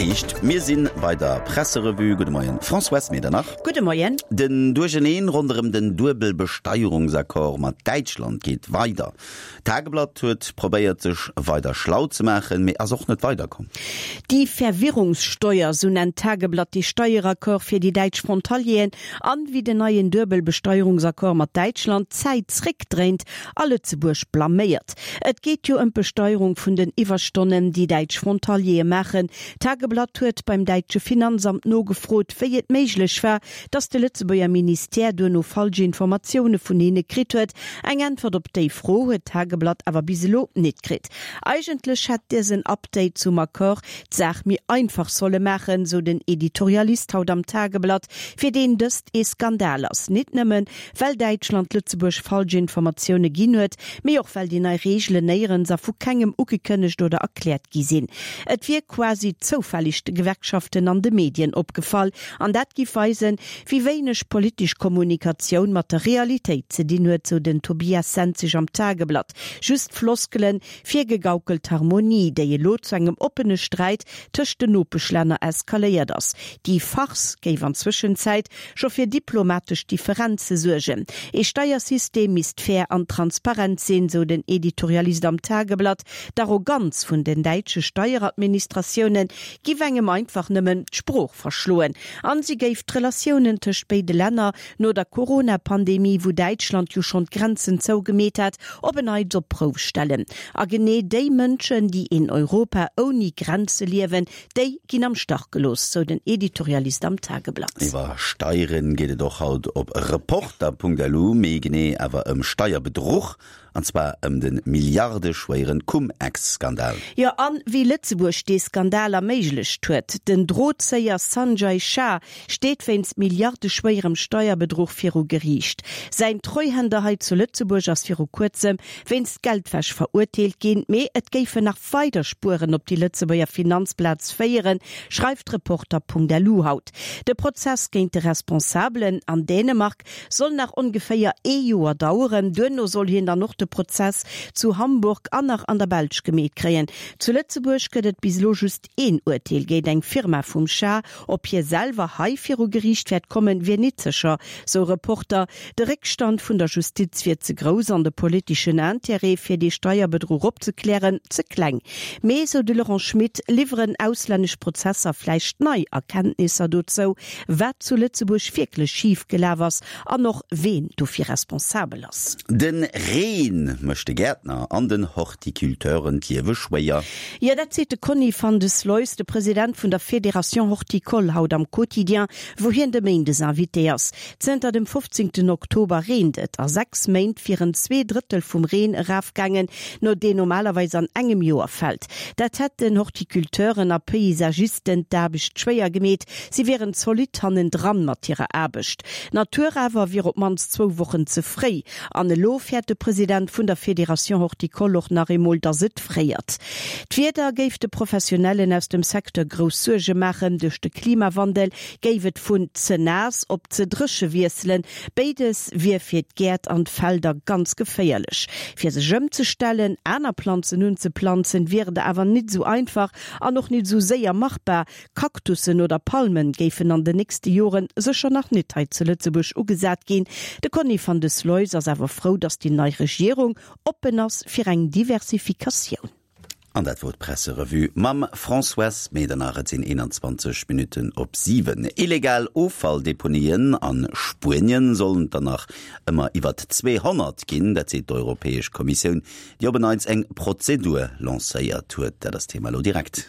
heescht, mir si bei der Presserevue. Gudde Moien, Françoise Medernach. Gudde Moien. Den Duercheneen ronderëm den Duebelbesteierungsaccord mat Däitschland geet weider. D'Tageblatt huet probéiert sech weider schlau ze maachen, mee ass och net weiderkomm. Die Verwirrungssteuer, sou nennt d'Tageblatt dee Steieraccord fir déi däitsch Frontalieren an wéi den neien Duebelbesteierungsaccord mat Däitschland d'Zäit zréckdréint a Lëtzebuerg blaméiert. Et geet jo ëm d'Besteierung vun den Iwwerstonnen, déi däitsch Frontaliere maachen. D'Tageblatt huet beim däitsche Finanzamt nogefrot, wéi et méiglech war, datt de Lëtzebuerger Ministère duerno falsch Informatioune vun hinne kritt huet. Eng Äntwert op déi Fro huet d'Tageblatt awer bis elo nit kritt. Eigentlech hätt dësen Update zum Accord d'Saach méi einfach solle maachen, sou den Editorialist haut am Tageblatt, fir deen dëst ee Skandal ass. Nit nëmmen, well Däitschland Lëtzebuerg falsch Informatioune ginn huet, mee och well déi nei Reegelen néierens a vu kengem ugekënnegt oder erkläert gi sinn. Et wier quasi zoufällig de Gewerkschaften an de Medien opgefall, an dat giff weisen, wéi wéineg politesch Kommunikatioun mat der Realitéit ze dinn huet, sou den Tobias Senzig am Tageblatt. Just Floskelen, virgegaukelt Harmonie, déi elo zu engem oppene Sträit tëscht den Nopeschlänner eskaléiert ass. Déi Farce géif an Zwëschenzäit scho fir diplomatesch Differenze suergen. Ee Steiersystem misst fair an transparent sinn, sou den Editorialist am Tageblatt. D'Arroganz vun den däitsche Steieradministratioune giff engem einfach nëmmen d'Sprooch verschloen. An si géif d'Relatiounen tëscht béide Länner no der Corona-Pandemie, wou Däitschland jo schonn d'Grenzen zougemeet hat, op en Neits op d'Prouf stellen. A genee déi Mënschen, déi een Europa ouni Grenze liewen, déi ginn am Stach gelooss, sou den Editorialist am Tageblatt. Iwwer Steieren geet et och haut op Reporter.lu, méi genee awer ëm Steierbedruch An zwar ëm de milliardeschwéieren Cum-Ex-Skandal. Jo, an wéi Lëtzebuerg dee Skandal erméiglecht huet. Den Drozéier Sanjay Shah steet wéinst milliardeschwéierem Steierbedruch viru Geriicht. Säin Treuhänder hei zu Lëtzebuerg ass viru kuerzem wéinst Geldwäsch verurteelt ginn, mee et géifen nach weider Spueren op déi Lëtzebuerger Finanzplaz féieren, schreift Reporter.lu haut. De Prozess géint de Responsabelen an Dänemark Soll nach ongeféier ee Joer daueren. Duerno soll hien dann och de Prozess zu Hamburg an nach an der Belsch gemeet kréien. Zu Lëtzebuerg gëtt et bis elo just een Urteel géint eng Firma vum Shah. Ob hie selwer hei viru Geriicht wäert kommen, wier nit sécher, sou Reporter. De Réckstand vun der Justiz wier ze grouss an de politeschen Intérêt, fir dee Steierbedruch opzeklären, ze kleng. Mee, sou de Laurent Schmit, liwweren auslännesch Prozesser vläicht nei Erkenntnisser dozou, wat zu Lëtzebuerg wierklech schif gelaf ass an och ween dofir responsabel ass. De Reen mécht de Gäertner an den Horticulteuren d'Liewe schwéier. Jo, dat seet de Conny van de Sluis, de President vun der Fédération Horticole haut am Quotidien, wou hien de Méindes Invité ass. Zënter dem 15 Oktober reent et. A 6 Méint wieren 2 Drëttel vum Reen erafgaangen, no deen normalerweis an engem Joer fält. Dat hätt den Horticulteuren a Paysagisten d'Aarbecht schwéier gemeet. Si wieren zolidd hannendran mat hirer Aarbecht. D'Natur awer wier op d'mannst zwou Wochen ze fréi. An elo fäert de President vun der Fédération Horticole och nach eemol, datt et fréiert. D'Wieder géif de Professionellen aus dem Secteur grouss Suerge maachen. Duerch de Klimawandel géif et vun ze naass op ze dréche wiesselen. Béides wier fir d'Gäert an d'Felder ganz geféierlech. Fir sech ëmzestellen, aner Planzen unzeplanzen, wier et awer nit esou einfach an och nit esou séier machbar. Kaktussen oder Palmen géifen an den nächste Joren sécher nach nit hei zu Lëtzebuerg ugesat ginn. De Conny van de Sluis ass awer frou, datt déi nei Regierung oppen ass fir eng Diversifikatioun. An dat wor d'Presserevue mam Françoise Medernach. Et sinn 21 Minutten op 7. Illegal Offalldeponien a Spuenien sollen der nach ëmmer iwwert 200 ginn. Dat seet d'Europäesch Kommissioun, déi op en Neits eng Prozedur lancéiert huet. Dat ass d'Thema elo direkt.